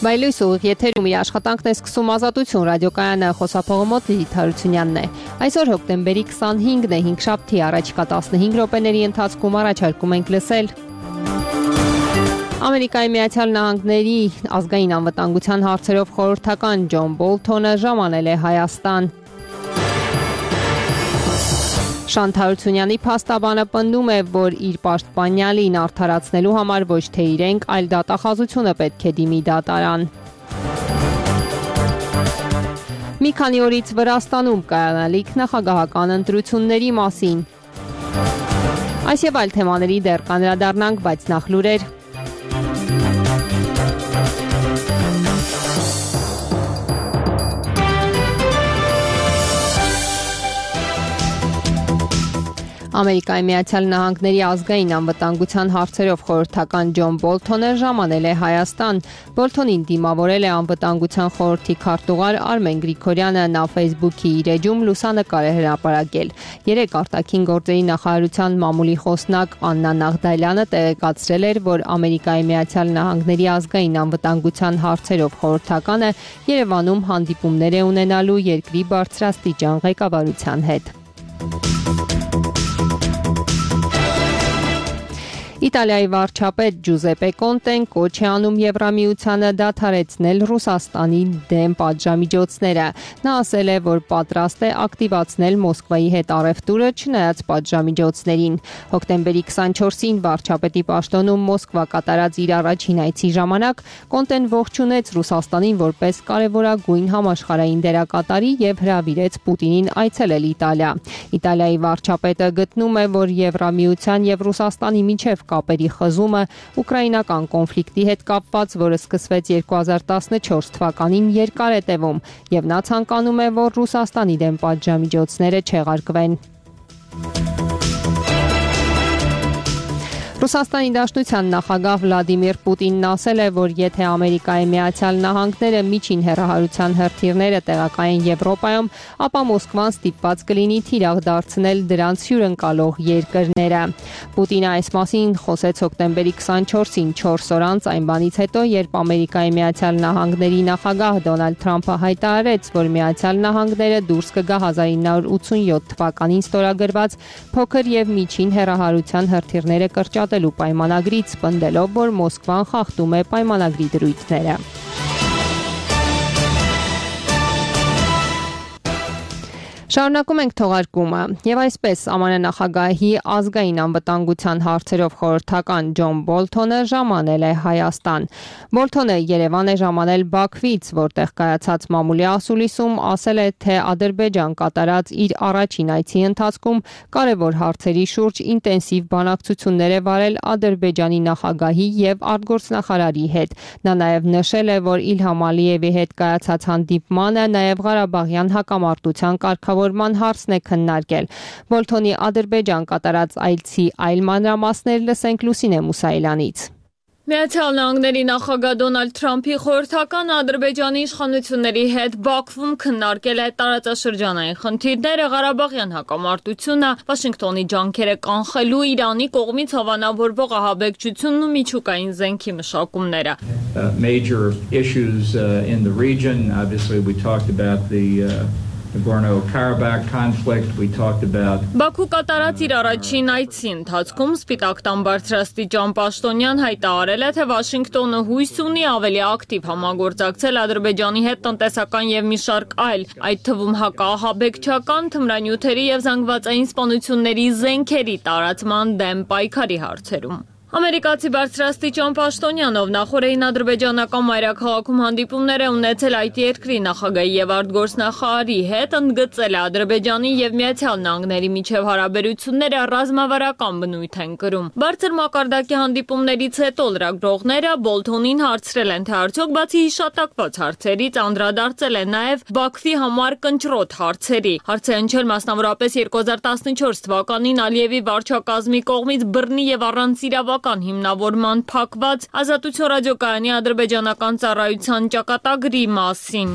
Բայլույս ուղիղ եթերում իր աշխատանքն է սկսում Ազատություն ռադիոկայանը, խոսափողը մոտ Լիլիթ Հարությունյանն է։ Այսօր հոկտեմբերի 25-ն է, 5 շաբթի, առաջիկա 15 րոպեների ընթացքում առաջարկում ենք լսել Ամերիկայի Միացյալ Նահանգների ազգային անվտանգության հարցերով խորհրդական Ջոն Բոլթոնը ժամանել է Հայաստան։ Շանթ Հարությունյանի փաստաբանը պնդում է, որ իր պաշտպանյալին արդարացնելու համար ոչ թե իրենք, այլ դատախազությունը պետք է դիմի դատարան։ Մի քանի օրից Վրաստանում կայանալիք նախագահական ընտրությունների մասին։ Այս եւ այլ թեմաների դեռ կանդրադառնանք, բայց նախ լուրեր։ Ամերիկայի Միացյալ Նահանգների ազգային անվտանգության հարցերով խորհրդական Ջոն Բոլթոնը ժամանել է Հայաստան։ Բոլթոնին դիմավորել է անվտանգության խորհրդի քարտուղար Արմեն Գրիգորյանը, նա Facebook-ի իր էջում լուսանկար է հրապարակել։ Երեկ արտաքին գործերի նախարարության մամուլի խոսնակ Աննա Նաղդալյանը տեղեկացրել էր, որ Ամերիկայի Միացյալ Նահանգների ազգային անվտանգության հարցերով խորհրդականը Երևանում հանդիպումներ է ունենալու երկրի բարձրաստիճան ղեկավարության հետ։ Իտալիայի վարչապետ Ջուզեպե Կոնտեն կոչ է անում Եվրամիությանը դադարեցնել Ռուսաստանի դեմ պատժամիջոցները։ Նա ասել է, որ պատրաստ է ակտիվացնել Մոսկվայի հետ առևտուրը չնայած պատժամիջոցներին։ Հոկտեմբերի 24-ին վարչապետի պաշտոնում Մոսկվա կատարած իր առաջին այցի ժամանակ Կոնտեն ողջունեց Ռուսաստանին որպես կարևորագույն համաշխարհային դերակատարի եւ հրավիրեց Պուտինին այցելել Իտալիա։ Իտալիայի վարչապետը գտնում է, որ Եվրամիության եւ Ռուսաստանի միջև կապերի խզումը ուկրաինական կոնֆլիկտի հետ կապված, որը սկսվեց 2014 թվականին, երկար է տևում, եւ նա ցանկանում է, որ Ռուսաստանի դեմ պատժամիջոցները չեղարկվեն։ Ռուսաստանի Դաշնության նախագահ Վլադիմիր Պուտինն ասել է, որ եթե Ամերիկայի Միացյալ Նահանգները միջին հեռահարության հրթիռները տեղակայեն Եվրոպայում, ապա Մոսկվան ստիպված կլինի թիրախ դարձնել դրանց հյուրընկալող երկրները։ Պուտինը այս մասին խոսեց հոկտեմբերի 24-ին, 4 օր անց այն բանից հետո, երբ Ամերիկայի Միացյալ Նահանգների նախագահ Դոնալդ Թրամփը հայտարարեց, որ Միացյալ Նահանգները դուրս կգա 1987 թվականին ստորագրված փոքր եւ միջին հեռահարության հրթիռները կրճատելու պայմանագրից, պնդելով, որ Մոսկվան խախտում է պայմանագրի դրույթները։ Շարունակում ենք թողարկումը եւ այսպես ԱՄՆ նախագահի ազգային անվտանգության հարցերով խորհրդական Ջոն Բոլթոնը ժամանել է Հայաստան։ Բոլթոնը Երևան է ժամանել Բաքվից, որտեղ կայացած մամուլի ասուլիսում ասել է, թե Ադրբեջան կատարած իր առաջին այցի ընթացքում կարևոր հարցերի շուրջ ինտենսիվ բանակցություններ է վարել Ադրբեջանի նախագահի եւ արտգործնախարարի հետ։ Նա նաեւ նշել է, որ Իլհամ Ալիևի հետ կայացած հանդիպմանը նաեւ Ղարաբաղյան հակամարտության կարգավորման հարցն է քննարկել։ Բոլթոնի Ադրբեջան կատարած այցի այլ մանրամասներ լսենք Լուսինե Մուսայելյանից։ Միացյալ Նահանգների նախագահ Դոնալդ Թրամփի խորհրդականը Ադրբեջանի իշխանությունների հետ Բաքվում քննարկել է տարածաշրջանային խնդիրները, Ղարաբաղյան հակամարտությունը, Վաշինգտոնի ջանքերը կանխելու Իրանի կողմից հավանավորվող ահաբեկչությունն ու միջուկային զենքի մշակումները։ Major issues in the region. Obviously we talked about the Nagorno-Karabakh conflict, we talked about Բաքու կատարած իր առաջին այցի ընթացքում Սպիտակ տան բարձրաստիճան պաշտոնյան հայտարարել է, թե Վաշինգտոնը հույս ունի ավելի ակտիվ համագործակցել Ադրբեջանի հետ տնտեսական եւ մի շարք այլ, այդ թվում հակաահաբեկչական, թմրանյութերի եւ զանգվածային սպանությունների զենքերի տարածման դեմ պայքարի հարցերում։ Ամերիկացի բարձրաստիճան պաշտոնյանով նախորդին ադրբեջանական մայրաքաղաքում հանդիպումներ է ունեցել այդ երկրի նախագահի եւ արտգործնախարարի հետ, ընդգծել է Ադրբեջանի եւ Միացյալ Նահանգների միջև հարաբերությունները ռազմավարական բնույթ են կրում։ Բարձր մակարդակի հանդիպումներից հետո լրագրողները Բոլթոնին հարցրել են, թե արդյոք բացի հիշատակված հարցերից անդրադարձել է նաեւ Բաքվի համար կնճռոտ հարցերի։ Հարց է հնչել մասնավորապես 2014 թվականին Ալիևի վարչակազմի կողմից բռնի եւ առանց իրավական հիմնավորման փակված Ազատություն ռադիոկայանի ադրբեջանական ծառայության ճակատագրի մասին։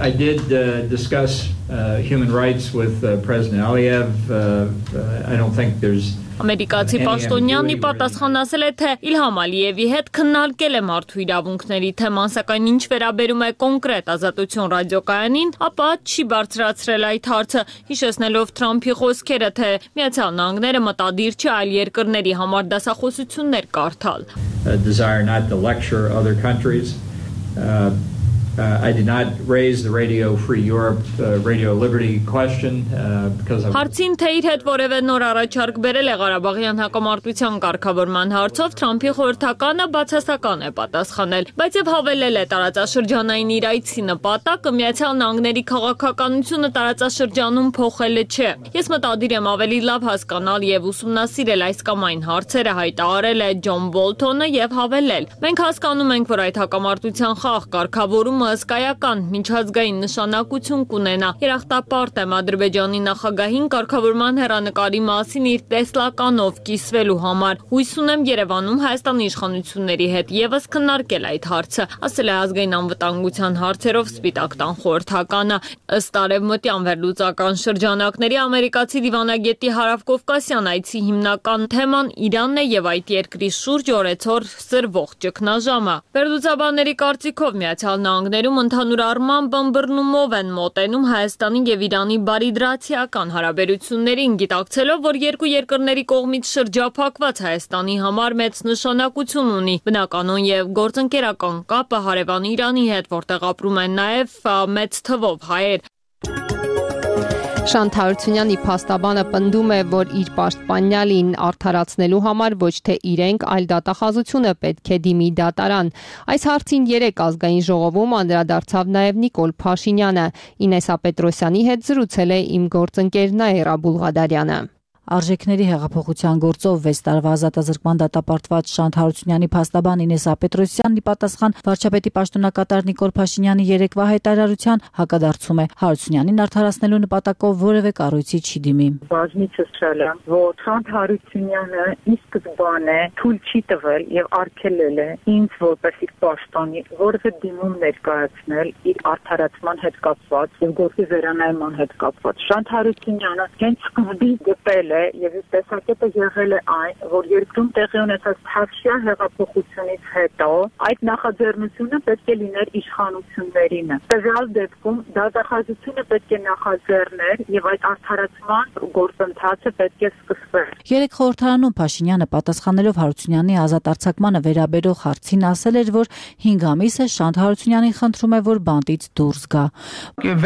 I did discuss human rights with President Aliyev. I don't think there's Ամերիկացի պաշտոնյանն ի պատասխան ասել է, թե Իլհամ Ալիևի հետ քննարկել է մարդու իրավունքների թեման, սակայն ինչ վերաբերում է կոնկրետ Ազատություն ռադիոկայանին, ապա չի բարձրացրել այդ հարցը, հիշեցնելով Թրամփի խոսքերը, թե Միացյալ Նահանգները մտադիր չի այլ երկրների համար դասախոսություններ կարդալ. Desire not to lecture other countries. I did not raise the Radio Free Europe, Radio Liberty question because of... Հարցին թե իր հետ որևէ նոր առաջարկ բերել է Ղարաբաղյան հակամարտության կարգավորման հարցով Թրամփի խորհրդականը բացասական է պատասխանել, բայց եւ հավելել է տարածաշրջանային իր այցի նպատակը Միացյալ Նահանգների քաղաքականությունը տարածաշրջանում փոխելը չէ։ Ես մտադիր եմ ավելի լավ հասկանալ եւ ուսումնասիրել այս կամ այն հարցերը, հայտարարել է Ջոն Բոլթոնը եւ հավելել. Մենք հասկանում ենք, որ այդ հակամարտության խաղ կարգավորումը հսկայական միջազգային նշանակություն կունենա։ Երախտապարտ եմ Ադրբեջանի նախագահին կարգավորման հեռանկարի մասին իր տեսլականով կիսվելու համար։ Հույս ունեմ Երևանում Հայաստանի իշխանությունների հետ եւս քննարկել այդ հարցը, ասել է ազգային անվտանգության հարցերով Սպիտակ տան խորհրդականը։ Ըստ արևմտյան վերլուծական շրջանակների ամերիկացի դիվանագետի Հարավկովկասյան այցի հիմնական թեման Իրանն է եւ այդ երկրի շուրջ օրեցօր սրվող ճգնաժամը։ Վերլուծաբանների կարծիքով Միացյալ Նահանգներում ընդհանուր առմամբ ըմբռնումով են մոտենում Հայաստանի եւ Իրանի բարիդրացիական հարաբերություններին, գիտակցելով, որ երկու երկրների կողմից շրջափակված Հայաստանի համար մեծ նշանակություն ունի բնականon եւ գործընկերական կապը հարևան Իրանի հետ, որտեղ ապրում են նաեւ մեծ թվով հայեր։ Շանթ Հարությունյանի փաստաբանը պնդում է, որ իր պաշտպանյալին արդարացնելու համար ոչ թե իրենք, այլ դատախազությունը պետք է դիմի դատարան։ Այս հարցին երեկ ազգային ժողովում անդրադարձավ նաև Նիկոլ Փաշինյանը։ Ինեսա Պետրոսյանի հետ զրուցել է իմ գործընկեր Նաիրա Բուլղադարյանը։ Արժեքների հեղափոխության գործով 6 տարվա ազատազրկման դատապարտված Շանթ Հարությունյանի փաստաբան Ինեսա Պետրոսյանն ի պատասխան վարչապետի պաշտոնակատար Նիկոլ Փաշինյանի երեկվա հայտարարության հակադարձում է Հարությունյանին արդարացնելու նպատակով որևէ կառույցի չի դիմի։ Բազմիցս չեմ, որ Շանթ Հարությունյանը ի սկզբանե թույլ չի տվել եւ արգելել է ինձ որպես իր պաշտոնի որևէ դիմում ներկայացնել իր արդարացման հետ կապված եւ գործի վերանայման հետ կապված։ Շանթ Հարությունյանը հենց սկզբից գտել եւ իր տեսակետը եղել է այն, որ երկրում տեղի ունեցած թավշյա հեղափոխությունից հետո այդ նախաձեռնությունը պետք է լիներ իշխանություններինը։ Տվյալ դեպքում դատախազությունը պետք է նախաձեռներ եւ այդ արդարացման գործընթացը պետք է սկսվեր։ Երեք խորհրդարանում Փաշինյանը պատասխանելով Հարությունյանի ազատ արձակմանը վերաբերող հարցին ասել էր, որ 5 ամիս է Շանթ Հարությունյանին խնդրում է, որ բանտից դուրս գա։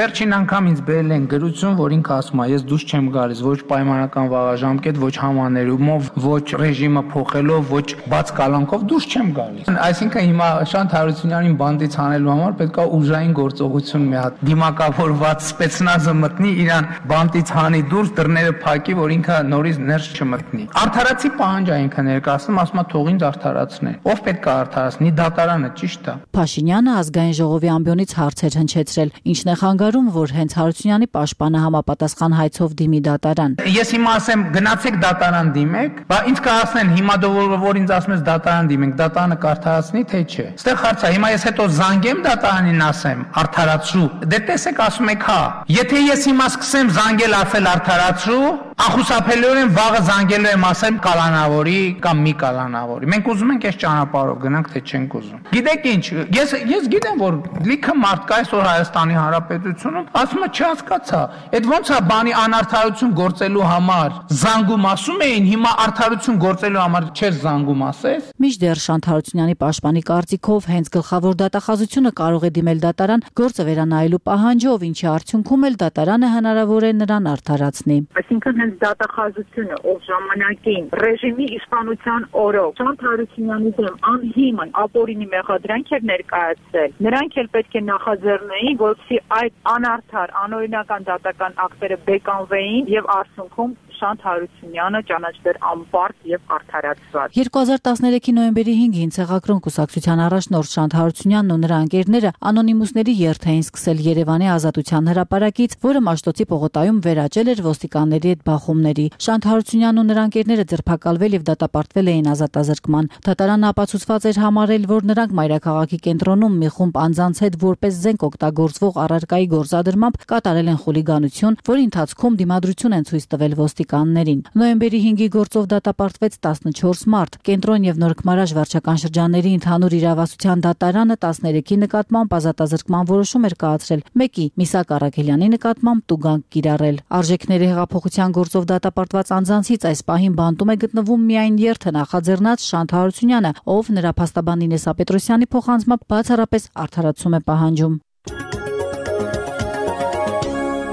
Վերջին անգամ ինձ բերել են գրություն, որ ինքը ասում է, ես դուրս չեմ գալիս, ոչ պայմանական ժամկետ, ոչ համաներումով, ոչ ռեժիմը փոխելով, ոչ բաց կալանքով դուրս չեմ գալիս։ Այսինքն հիմա Շանթ Հարությունյանին բանդից հանելու համար պետք է ուժային գործողություն մի հատ դիմակավորված սպեցնազը մտնի, իրան բանդից հանի դուրս, դռները փակի, որ ինքը նորից ներս չմտնի։ Արդարացի պահանջ է ինքը ներկայացնում, ասում է թող ինձ արդարացնեն։ Ով պետք է արդարացնի, դատարանը, ճիշտ է։ Փաշինյանը ազգային ժողովի ամբիոնից հարցեր հնչեցրել, ինչն է խանգարում, որ հենց Հարությունյանի պաշտպանը համապատասխան հայցով դիմի դատարան։ Ես հիմա ասեմ գնացեք դատարան դիմեք, բա ինձ կասեն հիմա որ ինձ ասում ես դատարան դիմենք, դատարանը կարդարացնի թե չէ։ Այստեղ հարց է, հիմա ես հետո զանգեմ դատարանին ասեմ արդարացրու։ Դե տեսեք ասում եք հա։ Եթե ես հիմա սկսեմ զանգել ասել արդարացրու, անխուսափելիորեն վաղը զանգելու եմ ասեմ կալանավորի կամ մի կալանավորի։ Մենք ուզում ենք այս ճանապարհով գնանք թե չենք ուզում։ Գիտեք ինչ, ես գիտեմ որ լիքը մարդ կա այսօր Հայաստանի Հանրապետությունում, ասում է չհասկացա, այդ ոնց է բանի անարդարություն գործելու համար զանգում ասում էին, հիմա արդարություն գործելու համար չես զանգում ասես։ Մինչդեռ Շանթ Հարությունյանի պաշտպանի կարծիքով հենց գլխավոր դատախազությունը կարող է դիմել դատարան գործը վերանայելու պահանջով, ինչի արդյունքում էլ դատարանը հնարավոր է նրան արդարացնի։ Այսինքն հենց դատախազությունը, ով ժամանակին ռեժիմի իշխանության օրոք Շանթ Հարությունյանի դեմ անհիմն ապօրինի մեղադրանք էր ներկայացրել, նրանք էլ պետք է նախաձեռնեին, որպեսզի այդ անարդար, անօրինական դատական ակտերը բեկանվեին եւ արդյունքում Շանթ Հարությունյանը ճանաչվեր անպարտ եւ արդարացված։ 2013-ի նոյեմբերի 5-ին Ցեղակրոն կուսակցության առաջնորդ Շանթ Հարությունյանն ու նրա ընկերները անոնիմուսների երթ էին սկսել Երևանի Ազատության հրապարակից, որը Մաշտոցի պողոտայում վերաճել էր ոստիկանների հետ բախումների։ Շանթ Հարությունյանն ու նրա ընկերները ձերբակալվել եւ դատապարտվել էին ազատազրկման։ Դատարանը ապացուցված էր համարել, որ նրանք մայրաքաղաքի կենտրոնում մի խումբ անձանց հետ որպես զենք օգտագործվող առարկայի գործադրմամբ կատարել են խուլիգանություն, որի ընթացքում դիմադրություն են ցույց տվել ոստիկանները ոստիկաններին։ Նոյեմբերի 5-ի գործով դատապարտվեց 14 մարդ։ Կենտրոն եւ Նորքմարաշ վարչական շրջանների ընդհանուր իրավասության դատարանը 13-ի նկատմամբ ազատազրկման որոշում էր կայացրել, 1-ի Միսակ Արաքելյանի նկատմամբ տուգանք կիրառել։ Արժեքների հեղափոխության գործով դատապարտված անձանցից այս պահին բանտում է գտնվում միայն երթը նախաձեռնած Շանթ Հարությունյանը, ով նրա փաստաբան Ինեսա Պետրոսյանի փոխանցմամբ բացառապես արդարացում է պահանջում։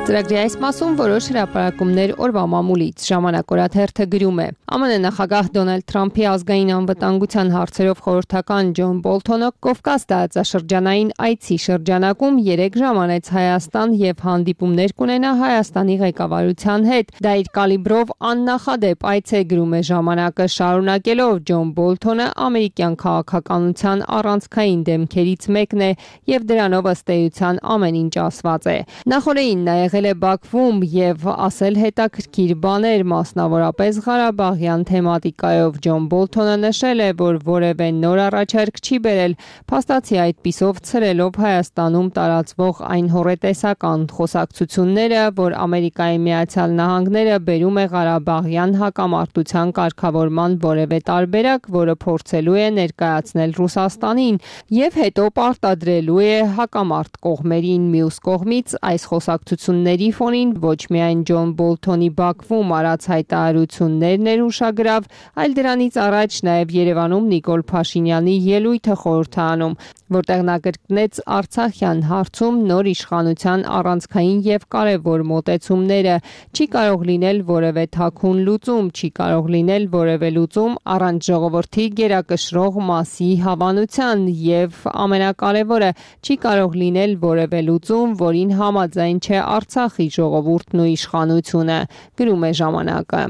Ծրագրի այս մասում որոշ հրապարակումներ օրվա մամուլից ժամանակ օրաթերթը գրում է. ԱՄՆ նախագահ Դոնալդ Թրամփի ազգային անվտանգության հարցերով խորհրդական Ջոն Բոլթոնը Կովկաս տարածաշրջանային այցի շրջանակում 3 ժամ անեց Հայաստան եւ հանդիպումներ կունենա Հայաստանի ղեկավարության հետ։ Դա իր կալիբրով աննախադեպ այց է, գրում է ժամանակը, շարունակելով Ջոն Բոլթոնը ամերիկյան քաղաքականության առանցքային դեմքերից մեկն է եւ դրանով ըստ էության ամեն ինչ ասված է։ Նախորդին նա եղել է Բաքվում եւ ասել հետաքրքիր բաներ, մասնավորապես Ղարաբաղյան թեմատիկայով։ Ջոն Բոլթոնը նշել է, որ որևէ նոր առաջարկ չի բերել, փաստացի այդպիսով ցրելով Հայաստանում տարածվող այն հոռետեսական խոսակցությունները, որ Ամերիկայի Միացյալ Նահանգները բերում է Ղարաբաղյան հակամարտության կարգավորման որևէ տարբերակ, որը փորձելու է ներկայացնել Ռուսաստանին եւ հետո պարտադրելու է հակամարտ կողմերին։ Մյուս կողմից այս խոսակցությունների ֆոնին ոչ միայն Ջոն Բոլթոնի Բաքվում արած հայտարարություններն էր ուշագրավ, այլ դրանից առաջ նաև Երևանում Նիկոլ Փաշինյանի ելույթը խորհրդանում, որտեղ նա կրկնեց Արցախյան հարցում նոր իշխանության առանցքային եւ կարեւոր մոտեցումները։ Չի կարող լինել որևէ թաքուն լուծում, չի կարող լինել որևէ լուծում առանց ժողովրդի գերակշռող մասի հավանության եւ ամենակարևորը, չի կարող լինել որևէ լուծում, որին համաձայն չէ Արցախի ժողովուրդն ու իշխանությունը, գրում է ժամանակը։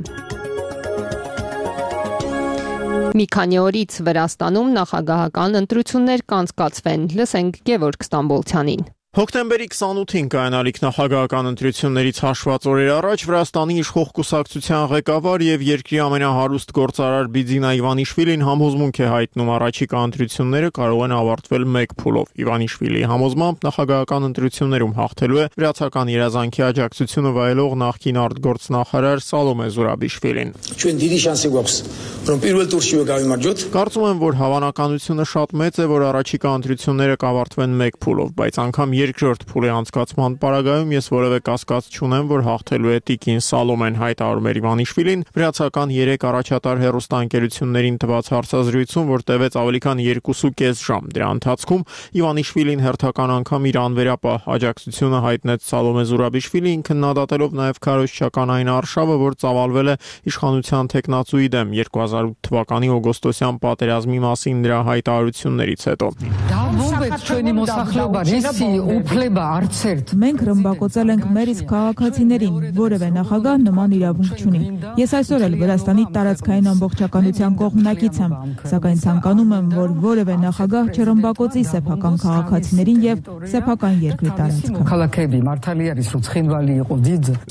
Մի քանի օրից Վրաստանում նախագահական ընտրություններ կանցկացվեն, լսենք Գևորգ Ստամբոլցյանին։ Հոկտեմբերի 28-ին կայանալիք նախագահական ընտրություններից հաշված օրեր առաջ Վրաստանի իշխող կուսակցության ղեկավար եւ երկրի ամենահարուստ գործարար Բիձինա Իվանիշվիլին համոզմունք է հայտնում առաջիկա ընտրությունները կարող են ավարտվել մեկ փուլով։ Իվանիշվիլիի համոզմամբ նախագահական ընտրություններում հաղթելու է վրացական երազանքի աջակցությունը վայելող նախկին արտգործնախարար Սալոմե Զուրաբիշվիլին։ Կարծում եմ, որ հավանականությունը շատ մեծ է, որ առաջիկա ընտրությունները կավարտվեն մեկ փուլով, բայց անգամ երկրորդ փուլի անցկացման պարագայում ես որևէ կասկած չունեմ, որ հաղթելու է տիկին Սալոմեն, հայտարարում էր Իվանիշվիլին վրացական 3 առաջատար հեռուստաընկերություններին տված հարցազրույցում, որ տևեց ավելի քան 2.5 ժամ։ Դրա ընթացքում Իվանիշվիլին հերթական անգամ իր անվերապահ աջակցությունը հայտնեց Սալոմե Զուրաբիշվիլիին, քննադատելով նաև քարոզչական այն արշավը, որ ծավալվել է իշխանության տեխնացուի դեմ 2008 թվականի օգոստոսյան պատերազմի մասին նրա հայտարարություններից հետո։ Մենք ռմբակոծել ենք մեր իսկ քաղաքացիներին, որևէ նախագահ նման իրավունք չունի։ Ես այսօր էլ Վրաստանի տարածքային ամբողջականության կողմնակից եմ, սակայն ցանկանում եմ, որ որևէ նախագահ չռմբակոծի սեփական քաղաքացիներին եւ սեփական երկրի տարածքը։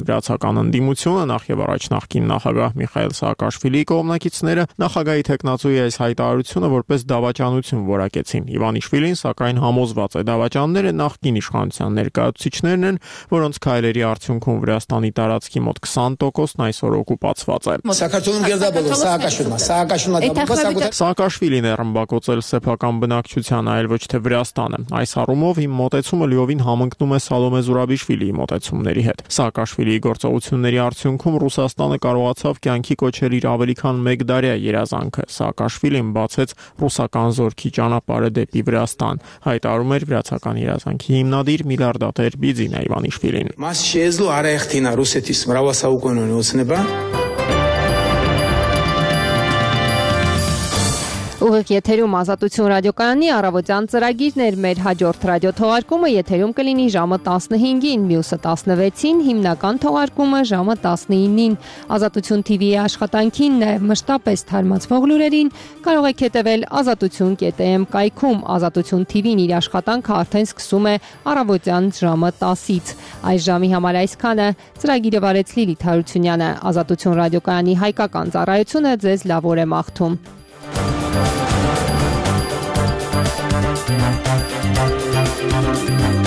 Վրացական ընդդիմությունը, նախ եւ առաջ նախկին նախագահ Միխայել Սաակաշվիլիի կողմնակիցները նախագահի տեխնացուի այս հայտարարությունը որպես դավաճանություն որակեցին։ Իվանիշվիլին սակայն համոզված է դավաճանները նախկին իշխանության ներկայացուցիչներն են, որոնց քայլերի արդյունքում Վրաստանի տարածքի մոտ 20%-ն այսօր օկուպացված է։ Սաակաշվիլին է ռմբակոծել սեփական բնակչության, այլ ոչ թե Վրաստանը։ Այս առումով իմ մոտեցումը լիովին համընկնում է Սալոմե Զուրաբիշվիլիի մոտեցումների հետ։ Սաակաշվիլիի գործողությունների արդյունքում Ռուսաստանը կարողացավ կյանքի կոչել իր ավելի քան 1 դարյա երազանքը։ Սաակաշվիլին բացեց ռուսական զորքի ճանապարհը դեպի Վրաստան, հայտարարում էր վրացական երազանքի հիմնադիր միլիարդատեր Բիձինա Իվանիշվիլին։ Ուղիղ եթերում Ազատություն ռադիոկայանի առավոտյան ծրագիրն էր։ Մեր հաջորդ ռադիոթողարկումը եթերում կլինի ժամը 15-ին, մյուսը 16-ին, հիմնական թողարկումը ժամը 19-ին։ Ազատություն TV-ի աշխատանքին, նաև մշտապես թարմացվող լուրերին կարող եք հետևել azatutun.am կայքում։ Ազատություն TV-ն իր աշխատանքը արդեն սկսում է առավոտյան ժամը 10-ից։ Այս ժամի համար այսքանը։ Ծրագիրը վարեց Լիլիթ Հարությունյանը։ Ազատություն ռադիոկայանի հայկական ծառայությունը ձեզ լավ օր է մաղթում։ Thank you.